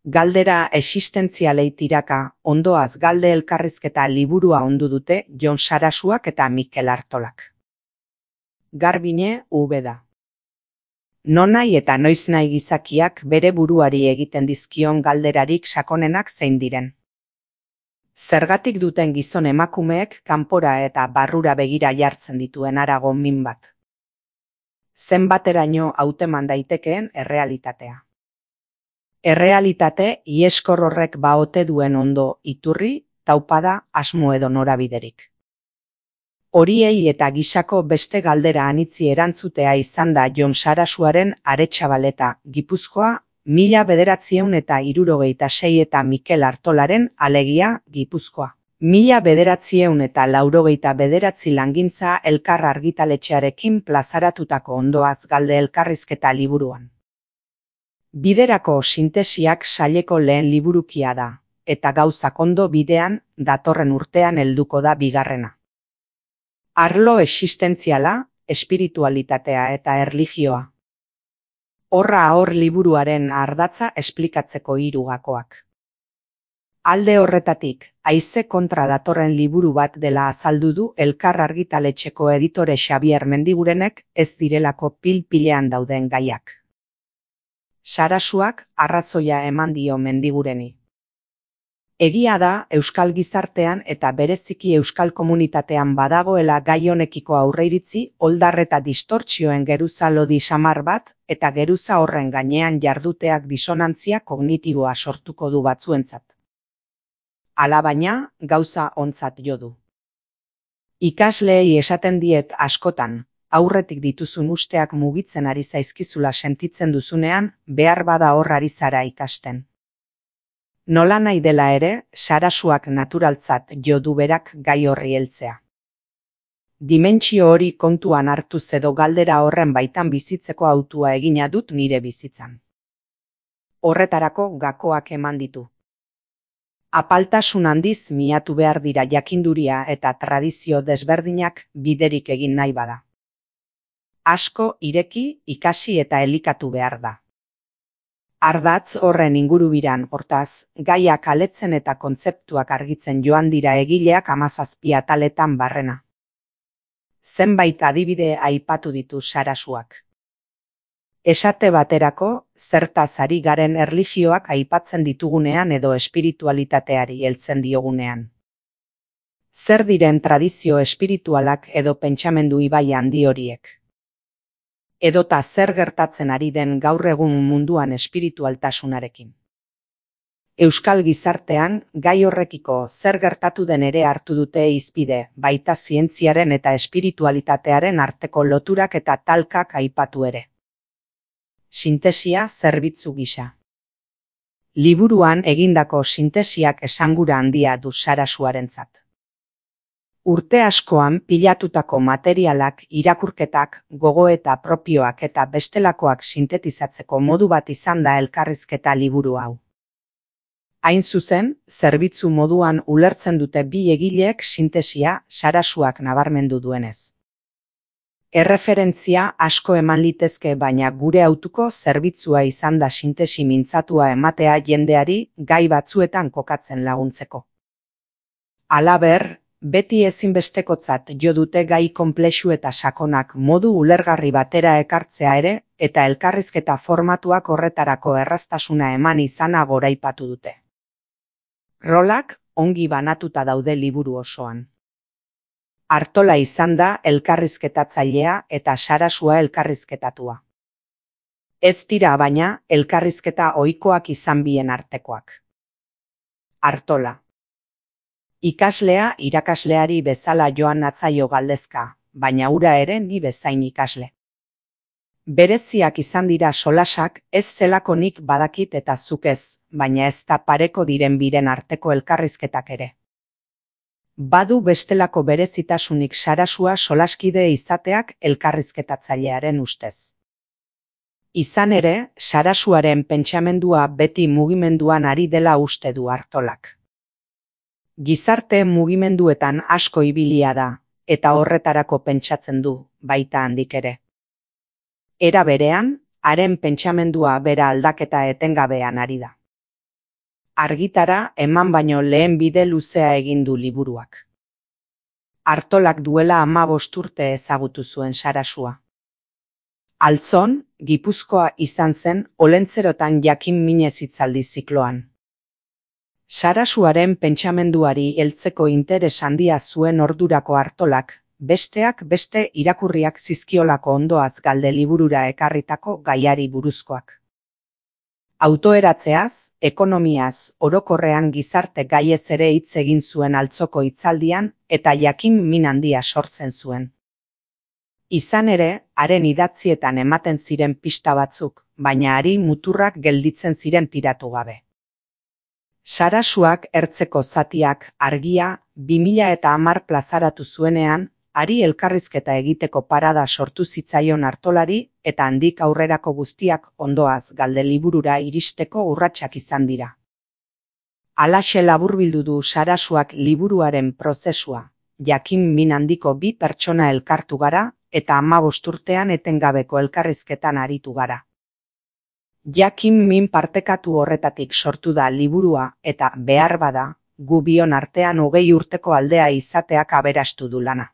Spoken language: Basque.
Galdera existentzialei tiraka, ondoaz galde elkarrizketa liburua ondu dute Jon Sarasuak eta Mikel Artolak. Garbine Ubeda. Nonai eta noiznahi gizakiak bere buruari egiten dizkion galderarik sakonenak zein diren. Zergatik duten gizon emakumeek kanpora eta barrura begira jartzen dituen harago min bat. Zenbateraino hauteman daitekeen errealitatea. Errealitate ieskor horrek baote duen ondo iturri, taupada, asmo edo norabiderik. Horiei eta gisako beste galdera anitzi erantzutea izan da Jon Sarasuaren Aretxabaleta, Gipuzkoa, 1976 eta Mikel Artolaren Alegia, Gipuzkoa. 1989 langintza elkar argitaletxearekin plazaratutako ondoaz galde elkarrizketa liburuan. Biderako sintesiak saileko lehen liburukia da, eta gauzak ondo bidean datorren urtean helduko da bigarrena. Arlo existentziala, espiritualitatea eta erlijioa. Horra hor liburuaren ardatza esplikatzeko 3 gakoak. Alde horretatik, haize kontra datorren liburu bat dela azaldu du elkar argitaletxeko editore Xabier Mendigurenek ez direlako pil-pilean dauden gaiak. Sarasuak arrazoia eman dio Mendigureni. Egia da euskal gizartean eta bereziki euskal komunitatean badagoela gai honekiko aurreiritzi, oldar eta distortzioen geruza lodi samar bat eta geruza horren gainean jarduteak disonantzia kognitiboa sortuko du batzuentzat. Alabaina, gauza ontzat jo du. Ikasleei esaten diet askotan, aurretik dituzun usteak mugitzen ari zaizkizula sentitzen duzunean, behar bada hor ari zara ikasten. Nola nahi dela ere, Sarasuak naturaltzat jo du berak gai horri heltzea. Dimentsio hori kontuan hartuz edo galdera horren baitan bizitzeko hautua egina dut nire bizitzan. Horretarako gakoak eman ditu. Apaltasun handiz miatu behar dira jakinduria eta tradizio desberdinak biderik egin nahi bada. Asko ireki, ikasi eta elikatu behar da. Ardatz horren ingurubiran hortaz, gaiak aletzen eta kontzeptuak argitzen joan dira egileak 17 ataletan barrena. Zenbait adibide aipatu ditu Sarasuak. Esate baterako, zertaz ari garen erlijioak aipatzen ditugunean edo espiritualitateari heltzen diogunean. Zer diren tradizio espiritualak edo pentsamendu ibai handi horiek. Edota zer gertatzen ari den gaur egun munduan espiritualtasunarekin. Euskal gizartean, gai horrekiko zer gertatu den ere hartu dute hizpide, baita zientziaren eta espiritualitatearen arteko loturak eta talkak aipatu ere. Sintesia zerbitzu gisa. Liburuan egindako sintesiak esangura handia du Sarasuarentzat. Urte askoan pilatutako materialak, irakurketak, gogoeta propioak eta bestelakoak sintetizatzeko modu bat izan da elkarrizketa liburu hau. Hain zuzen, zerbitzu moduan ulertzen dute bi egileek sintesia Sarasuak nabarmendu duenez. Erreferentzia asko eman litezke baina gure hautuko zerbitzua izan da sintesi mintzatua ematea jendeari gai batzuetan kokatzen laguntzeko. Halaber, beti ezinbestekotzat jo dute gai konplexu eta sakonak modu ulergarri batera ekartzea ere eta elkarrizketa formatuak horretarako erraztasuna eman izana goraipatu dute. Rolak ongi banatuta daude liburu osoan. Artola izan da elkarrizketatzailea eta Sarasua elkarrizketatua. Ez dira baina elkarrizketa ohikoak izan bien artekoak. Artola. Ikaslea irakasleari bezala joan natzaio galdezka, baina hura ere ni bezain ikasle. Bereziak izan dira solasak, ez zelakonik badakit eta zuk ez, baina ez da pareko diren biren arteko elkarrizketak ere. Badu bestelako berezitasunik Sarasua solaskide izateak elkarrizketatzailearen ustez. Izan ere, Sarasuaren pentsamendua beti mugimenduan ari dela uste du Artolak. Gizarte mugimenduetan asko ibilia da, eta horretarako pentsatzen du, baita handik ere. Era berean, haren pentsamendua bera aldaketa etengabean ari da. Argitara eman baino lehen bide luzea egin du liburuak. Artolak duela 15 urte ezagutu zuen Sarasua. Altzon, Gipuzkoa izan zen Olentzerotan jakin minez hitzaldi zikloan. Sarasuaren pentsamenduari heltzeko interes handia zuen ordurako Artolak, besteak beste irakurriak zizkiolako ondoaz galde liburura ekarritako gaiari buruzkoak. Autoeratzeaz, ekonomiaz, orokorrean gizarte gaiez ere hitz egin zuen altzoko hitzaldian eta jakin min handia sortzen zuen. Izan ere, haren idatzietan ematen ziren pista batzuk, baina hari muturrak gelditzen ziren tiratu gabe. Sarasuak ertzeko zatiak Argia 2010 plazaratu zuenean, hari elkarrizketa egiteko parada sortu zitzaion Artolari eta handik aurrerako guztiak ondoaz galde liburura iristeko urratsak izan dira. Halaxe laburbildu du Sarasuak liburuaren prozesua, jakin min handiko bi pertsona elkartu gara eta 15 urtean etengabeko elkarrizketan aritu gara. Jakin min partekatu horretatik sortu da liburua eta behar bada, gu bion artean 20 urteko aldea izateak aberastu du lana.